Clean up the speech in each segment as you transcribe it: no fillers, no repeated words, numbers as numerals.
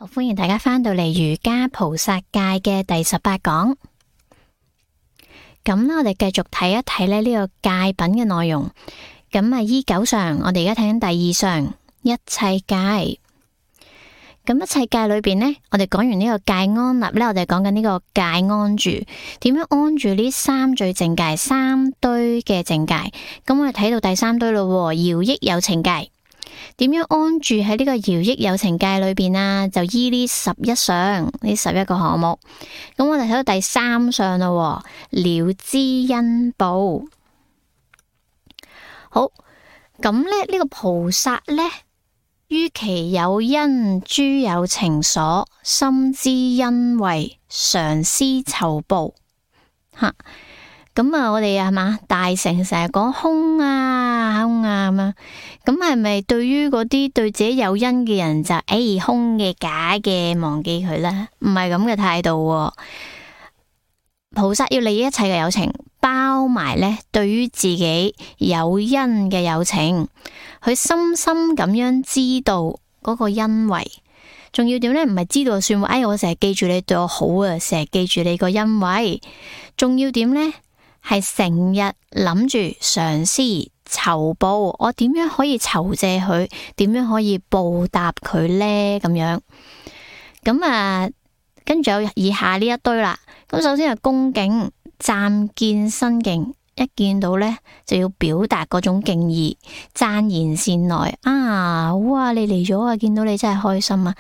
好，歡迎大家返到嚟瑜伽菩薩戒嘅第18講。咁我哋繼續睇一睇呢個戒品嘅內容。咁依9上，我哋而家睇緊第2上一切戒。咁一切戒裏邊呢，我哋講完呢個戒安立呢，我哋講緊呢個戒安住，點樣安住呢3最淨戒3堆嘅淨戒。咁我哋睇到第3堆咯，饒益有情戒。點樣安住喺呢個饒益有情戒裏邊啊？就依呢11上呢11個項目。咁我哋睇到第3上咯，了知恩報。好，咁呢個菩薩呢，於其有因諸有情所，深知恩惠，常思酬報。吓，咁我哋係嘛？大乘成日講空啊咁啊，咁係咪對於嗰啲對自己有因嘅人就空嘅假嘅忘記佢啦？唔係咁嘅態度。菩薩要利益一切嘅有情，包埋呢對於自己有因嘅有情，佢深深咁樣知道嗰個恩惠，仲要點呢？唔係知道就算，我成日記住你對我好啊，成日記住你個恩惠，仲要點呢？係成日諗住嘗試酬報，我點樣可以酬謝佢？點樣可以報答佢呢？咁樣咁跟住有以下呢一堆啦。咁首先係恭敬，暫見身敬，一見到呢就要表達嗰種敬意，讚言善來啊！哇，你嚟咗啊！見到你真係開心啊！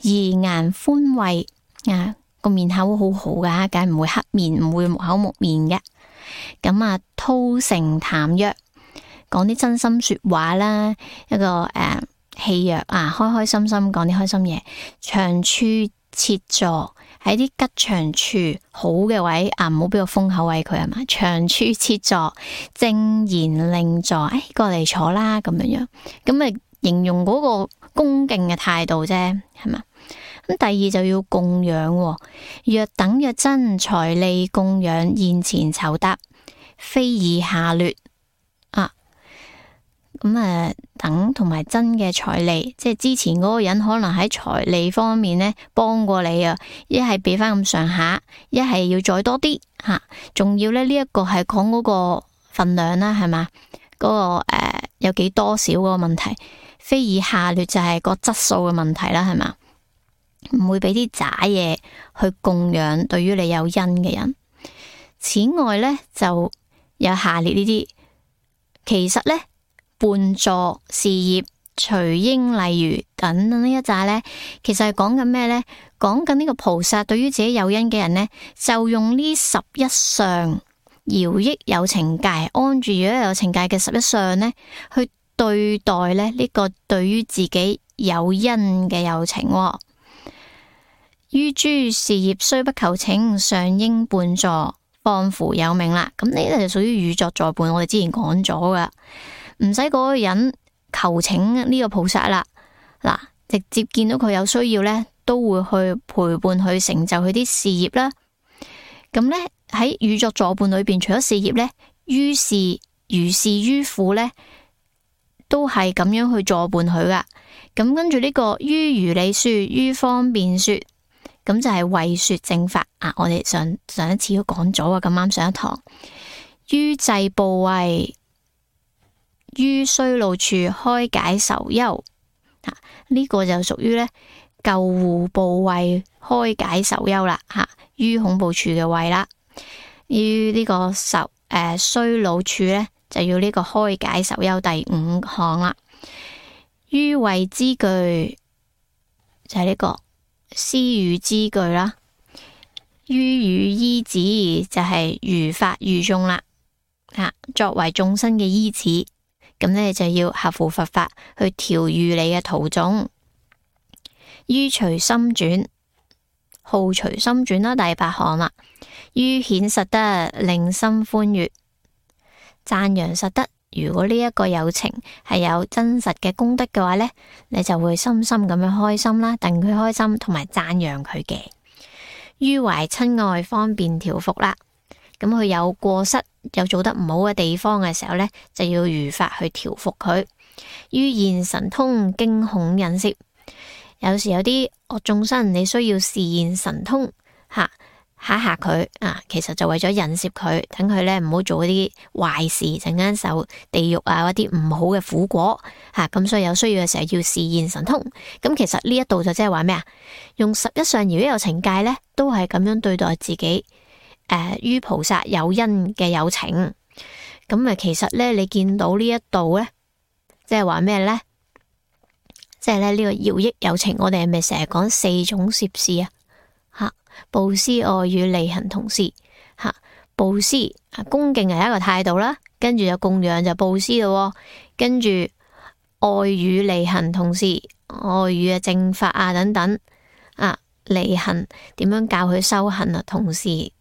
怡顏歡慰啊，個面口好好噶，梗係唔會黑面，唔會木口木面嘅。咁吐誠談約，講啲真心說話啦，一個戲謔開開心心講啲開心嘢，長處設座，喺啲吉祥處好嘅位唔好俾個風口位佢係嘛，長處設座，正言令座，過嚟坐啦咁樣樣，咁形容嗰個恭敬嘅態度啫，係嘛？咁第二就要供養，若等若真財利供養，現前酬答，非以下劣等同埋真嘅財利，即係之前嗰個人可能喺財利方面呢幫過你啊，一係俾翻咁上下，一係要再多啲吓，仲要呢一個係講嗰個份量啦，係嘛？嗰個有幾多少嗰個問題，非以下劣就係個質素嘅問題啦，係嘛？唔會俾啲渣嘢去供養對於你有因嘅人。此外呢，就有下列呢啲，其實呢，伴助事業隨應例如等等呢一紮呢，其實係講緊咩呢？講緊呢個菩薩對於自己有因嘅人呢，就用呢11上饒益有情戒，安住饒益有情戒嘅11上呢，去對待呢個對於自己有因嘅有情。於諸事業雖不求請，尚應伴助，況乎有命啦。咁呢個就屬於與作助伴，我哋之前講咗噶，唔使嗰個人求請呢個菩薩啦，嗱，直接見到佢有需要呢，都會去陪伴佢成就佢啲事業啦。咁呢，喺與作助伴裏邊，除咗事業呢，於事如是於苦呢，都係咁樣去助伴佢噶。咁跟住呢個於如理說，於方便說，咁就係為說正法啊！我哋上一次都講咗啊，咁啱上一堂。於濟怖畏，於衰老處開解愁憂，呢個就屬於呢救護怖畏開解愁憂啦，於恐怖處嘅畏啦。於呢個衰老處呢，就要呢個開解愁憂第5項啦。於慧之具就係呢個施語之具啦，於語依止就係如法如眾啦，作為眾生嘅依止，咁呢就要合乎佛法去調御你嘅徒眾。於隨心轉，好隨心轉啦，第8項啦。於顯實德，令心歡悅，讚揚實德。如果呢一個有情係有真實嘅功德嘅話呢，你就會深深咁樣開心啦，戥佢開心，同埋讚揚佢嘅。於懷親愛，方便調伏啦。咁佢有過失，有做得唔好嘅地方嘅時候呢，就要如法去調伏佢。於現神通，驚恐忍攝，有時有啲惡眾生，你需要示現神通吓嚇佢啊，其實就為咗引攝佢，等佢咧唔好做一啲壞事，陣間受地獄啊，一啲唔好嘅苦果吓。咁所以有需要嘅時候要示現神通。咁其實呢一度就即係話咩啊？用11相如果有情界咧，都係咁樣對待自己於菩薩有因嘅有情。咁其實咧你見到呢一度咧，即係話咩咧？即係咧呢個饒益有情，我哋係咪成日講4種攝事啊？吓，布施、愛語、利行、同事。吓，布施恭敬係一個態度啦，跟住就供養就布施咯，跟住愛語、利行、同事。愛語啊、正法啊等等啊，利行點樣教佢修行啊？同時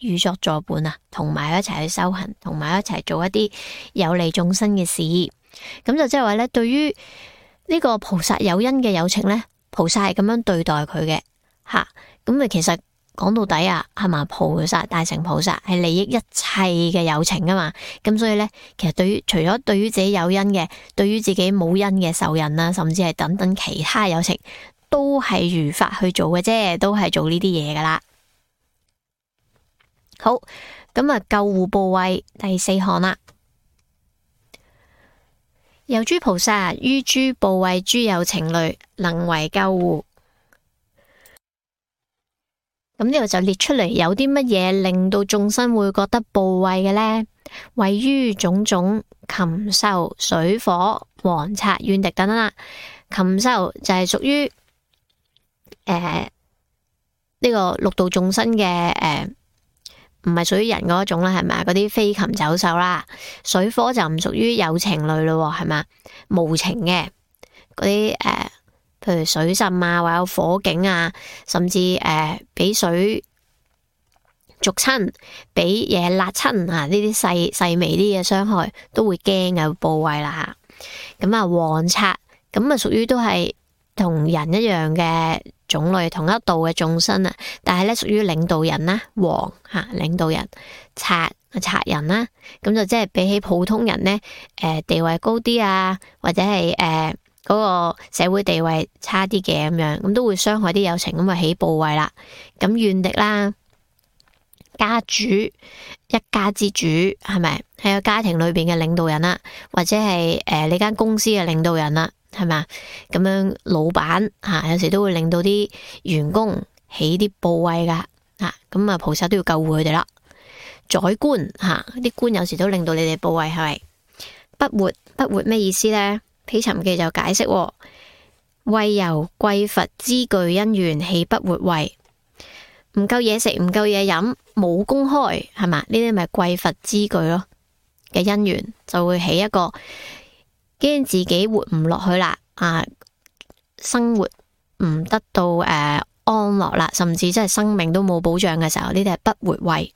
與作助伴啊，同埋一齊去修行，同埋一齊做一啲有利眾生嘅事。咁就即係話咧，對於呢個菩薩有因嘅有情咧，菩薩係咁樣對待佢嘅吓。咁其實講到底啊，係嘛，菩薩大乘菩薩係利益一切嘅有情噶嘛。咁所以咧，其實除咗對於自己有因嘅，對於自己冇因嘅仇人啊，甚至係等等其他有情，都係如法去做嘅啫，都係做呢啲嘢噶啦。好，咁啊，救護怖畏第4項啦。有諸菩薩於諸怖畏諸有情類，能為救護。咁呢度就列出嚟，有啲乜嘢令到眾生會覺得怖畏嘅呢？位於種種禽獸、水火、王賊、怨敵等等啦。禽獸就係屬於呢個六道眾生嘅唔係屬於人嗰種啦，係咪？嗰啲飛禽走獸啦。水火就唔屬於有情類咯，係咪？無情嘅嗰啲譬如水浸啊，或者火警啊，甚至俾水灼親，俾嘢辣親啊，呢啲細微啲嘅傷害都會驚嘅，怖畏啦吓。咁啊，王賊咁啊，屬於都係同人一樣嘅種類，同一道嘅眾生啊，但係咧屬於領導人啦，王吓領導人，賊人啦，咁就即係比起普通人咧，地位高啲啊，或者係嗰個社會地位差啲嘅咁樣，咁都會傷害啲有情，咁啊起怖畏啦。咁怨敵啦，家主一家之主係咪？係個家庭裏邊嘅領導人啦，或者係你間公司嘅領導人啦，係咪？咁樣老闆吓，有時都會令到啲員工起啲怖畏噶吓，咁啊菩薩都要救護佢哋啦。宰官吓，啲官有時都令到你哋怖畏，係咪？不活咩意思呢？毗尋記就解釋，為由貴佛資具因緣起不活畏，唔夠嘢食，唔夠嘢飲，冇公開，係嘛？呢啲咪貴佛資具咯嘅因緣，就會起一個驚自己活唔落去啦，生活唔得到安樂啦，甚至真係生命都冇保障嘅時候，呢啲係不活畏。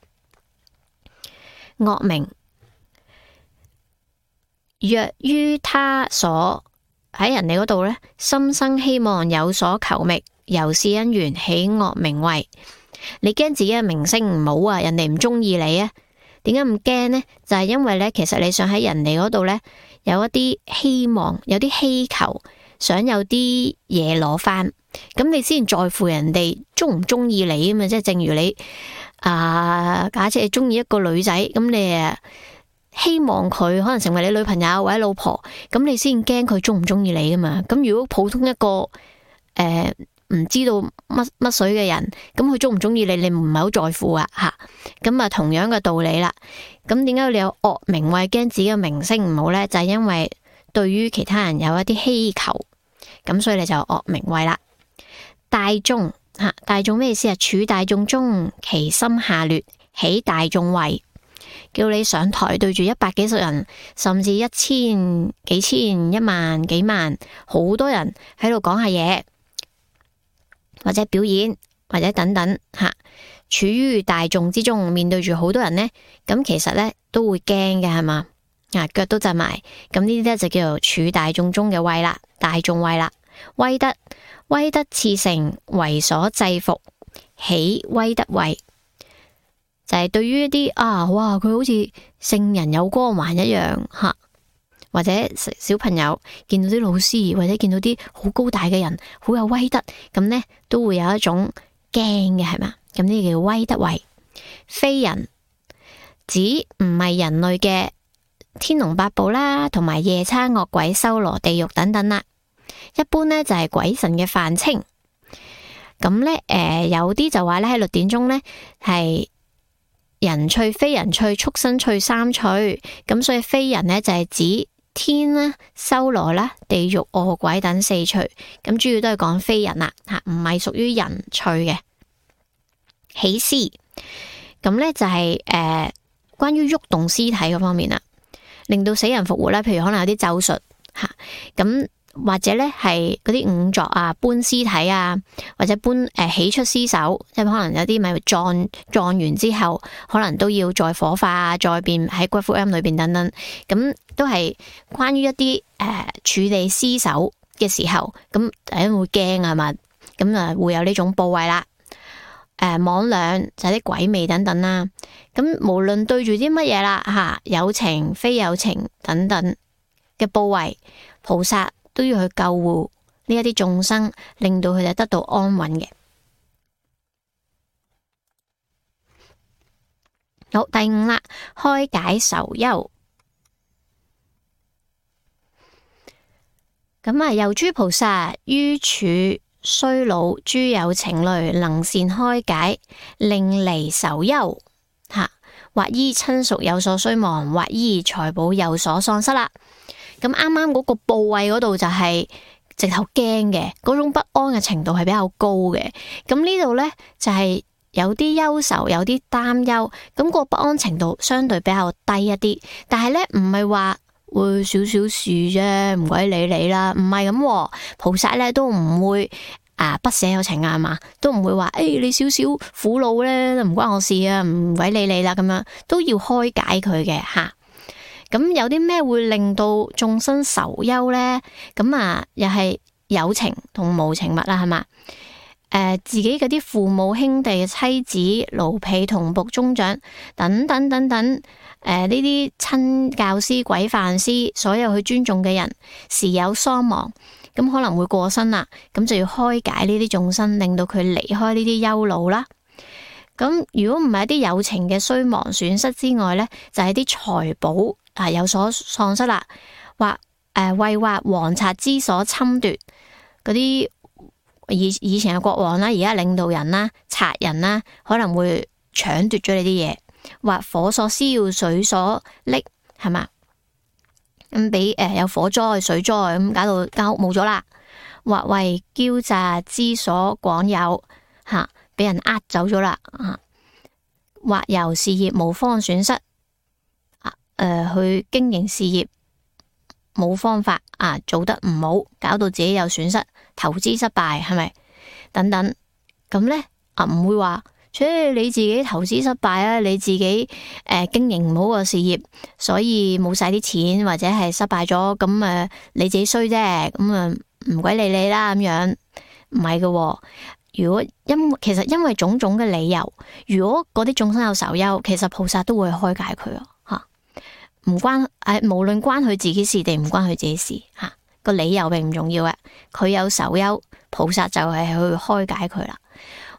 惡名，若於他所喺人哋嗰度呢，心生希望有所求覓，由是因緣起惡名畏。你驚自己嘅名聲唔好啊，人哋唔中意你啊？點解咁驚呢？就係因為呢，其實你想喺人哋嗰度呢，有一啲希望，有啲希求，想有啲嘢攞翻，咁你先在乎人哋中唔中意你啊嘛。即係正如你假設你中意一個女仔，咁你希望佢可能成為你女朋友或者老婆，咁你先驚佢中唔中意你啊嘛。咁如果普通一個唔知道乜水嘅人，咁佢中唔中意你，你唔係好在乎啊吓。咁啊同樣嘅道理啦。咁點解你有惡名畏，驚自己嘅名聲唔好呢？就係因為對於其他人有一啲希求，咁所以你就惡名畏啦。大眾大眾咩意思啊？處大眾中，其心下劣，起大眾畏。叫你上台對住100幾十人，甚至1000幾千、10000幾萬，好多人喺度講下嘢，或者表演，或者等等吓，處於大眾之中，面對住好多人呢，咁其實呢都會驚嘅，係嘛？腳都震埋，咁呢啲呢就叫做處大眾中嘅畏啦，大眾畏啦。威德熾盛，為所制服，起威德畏。就係對於一啲哇，佢好似聖人有光環一樣吓，或者小朋友見到啲老師，或者見到啲好高大嘅人，好有威德，咁呢都會有一種驚嘅，係嘛？咁呢叫威德位。非人指唔係人類嘅天龍八部啦，同埋夜叉惡鬼、修羅地獄等等啦。一般呢就係鬼神嘅泛稱。咁呢，有啲就話呢喺律典中呢係人趣、非人趣、畜生趣三趣。咁所以非人呢就係指天啦、修羅啦、地獄、餓鬼等四趣。咁主要都係講非人啦，吓，唔係屬於人趣嘅。起屍，咁呢就係關於喐動屍體嗰方面啦，令到死人復活啦。譬如可能有啲咒術吓，咁或者呢係嗰啲仵作啊、搬屍體啊，或者搬起出屍首，即係可能有啲咪撞完之後，可能都要再火化啊，再變喺骨灰龕裏邊等等，咁都係關於一啲處理屍首嘅時候，咁大家會驚啊嘛，咁啊會有呢種部位啦。魍魎就係啲鬼魅等等啦。咁無論對住啲乜嘢啦吓，有情非有情等等嘅部位，菩薩都要去救護呢一啲眾生，令到佢哋得到安穩嘅。好，第五啦，開解愁憂。咁啊，由諸菩薩於處衰老，諸有情類，能善開解，令離愁憂。吓，或依親屬有所衰亡，或依財寶有所喪失啦。咁啱啱嗰個部位嗰度就係直頭驚嘅，嗰種不安嘅程度係比較高嘅。咁呢度呢，就係有啲憂愁，有啲擔憂，咁個不安程度相對比較低一啲。但係呢，唔係話會少少事啫，唔鬼理你啦，唔係咁。菩薩呢都唔會不捨有情啊，係嘛，都唔會話你少少苦惱呢，唔關我事啊，唔鬼理你啦，咁樣都要開解佢嘅吓。咁有啲咩會令到眾生愁憂呢？咁又係有情同無情物啦，係嘛？自己嗰啲父母兄弟、妻子、奴婢、同僕、中長等等等等，呢啲親教師、軌範師，所有去尊重嘅人，時有喪亡，咁可能會過身啦，咁就要開解呢啲眾生，令到佢離開呢啲憂惱啦。咁如果唔係一啲有情嘅衰亡損失之外呢，就係啲財寶有所喪失啦，或為或皇賊之所侵奪，嗰啲以前嘅國王啦，而家領導人啦、賊人啦，可能會搶奪咗你啲嘢，或火所燒、水所溺，係嘛？咁俾有火災、水災咁搞到間屋冇咗啦，或為驕詐之所廣有吓，俾人呃走咗啦，或由事業無方損失。去經營事業冇方法做得唔好，搞到自己有損失，投資失敗，係咪？等等咁呢，唔會話，你自己投資失敗啊，你自己經營唔好個事業，所以冇晒啲錢或者係失敗咗，咁你自己衰啫，咁唔鬼理你啦，咁樣唔係嘅。如果其實因為種種嘅理由，如果嗰啲眾生有愁憂，其實菩薩都會開解佢啊。唔關無論關佢自己事定唔關佢自己事吓，個理由並唔重要嘅。佢有愁憂，菩薩就係去開解佢啦。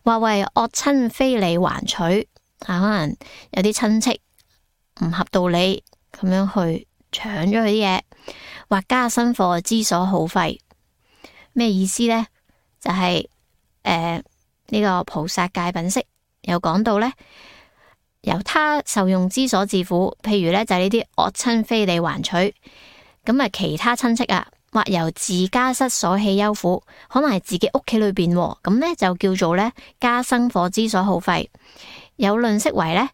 或為惡親非理還取，可能有啲親戚唔合道理咁樣去搶咗佢啲嘢，或加生課之所耗費。咩意思呢？就係呢個菩薩戒品釋有講到呢，由他受用之所致苦，譬如呢，就係呢啲惡親非理還取，咁其他親戚或由自家室所起憂苦，可能係自己屋企裏邊，咁呢就叫做呢加生課之所耗費。有論釋為呢，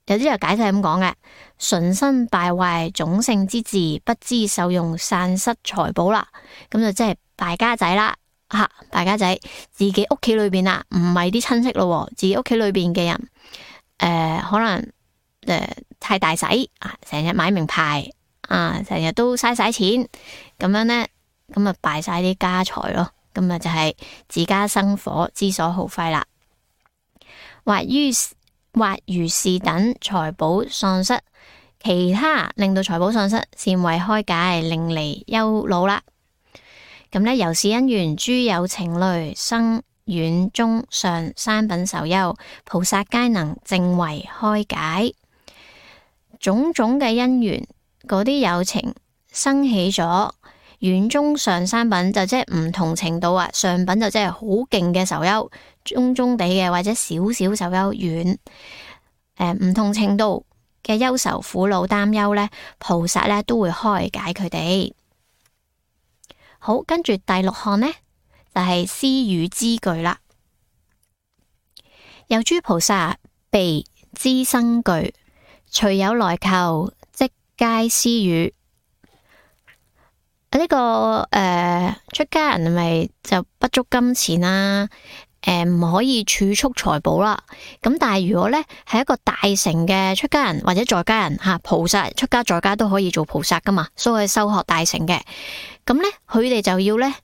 有啲就解釋係咁講嘅：純身敗壞種姓之志，不知受用散失財寶啦。咁就即係敗家仔啦，敗家仔自己屋企裏邊唔係啲親戚咯，自己屋企裏邊嘅人。可能太大使成日買名牌成日都嘥晒錢，咁樣呢，咁敗晒啲家財咯，咁就係自家生火之所耗費啦。或如是等財寶喪失，其他令到財寶喪失，善為開解，令離憂惱啦。咁呢，由是因緣，諸有情類生遠中上三品受憂，菩薩皆能證為開解。種種嘅因緣，嗰啲有情生起咗遠中上三品，就即係唔同程度啊。上品就即係好勁嘅受憂，中中地嘅或者少少受憂，遠唔同程度嘅憂愁苦惱擔憂呢，菩薩呢都會開解佢哋。好，跟住第六項呢，就係施語資具啦。有諸菩薩備資生具，隨有來求，即皆施予。呢個出家人咪就不足金錢啦，唔可以儲蓄財寶啦。咁但係如果呢係一個大乘嘅出家人或者在家人吓，菩薩出家在家都可以做菩薩噶嘛，所以修學大乘嘅。咁呢佢哋就要呢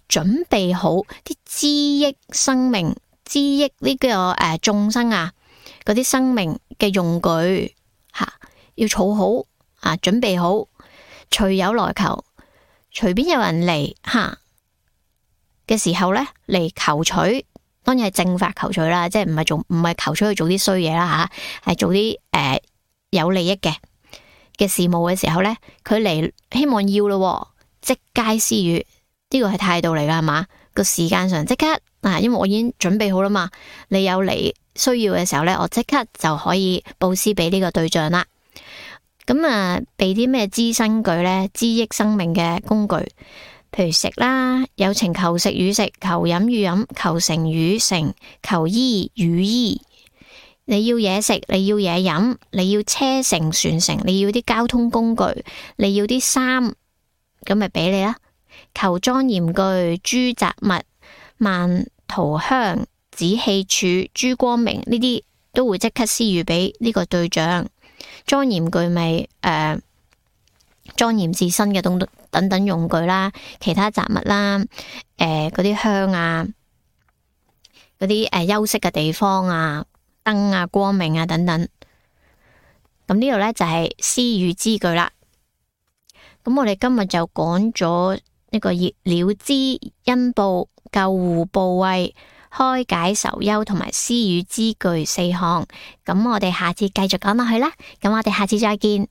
準備好啲資益生命、資益呢個眾生啊嗰啲生命嘅用具吓，要儲好啊，準備好。隨有來求，隨便有人嚟吓嘅時候呢，嚟求取，當然係正法求取啦，即係唔係求取去做啲衰嘢啦吓，係做啲有利益嘅事務嘅時候呢，佢嚟希望要咯，即皆施予，呢個係態度嚟噶係嘛？個時間上即刻因為我已經準備好啦嘛，你有嚟需要嘅時候呢，我即刻就可以布施俾呢個對象啦。咁備啲咩資生具呢？資益生命嘅工具，譬如食啦，有情求食與食，求飲與飲，求乘與乘，求衣與衣。你要嘢食，你要嘢飲，你要車乘船乘，你要啲交通工具，你要啲衫，咁咪俾你啦。求莊嚴具、諸雜物、曼塗香、紫器柱、諸光明，呢啲都會即刻施予俾呢個對象。莊嚴具咪莊嚴自身嘅等等用具啦，其他雜物啦，嗰啲香啊，嗰啲休息嘅地方啊，燈啊，光明啊等等。咁呢度呢，就係施予資具啦。咁我哋今日就講咗呢個了知恩報、救護怖畏、開解愁憂同埋施予資具4項。咁我哋下次繼續講落去啦。咁我哋下次再見。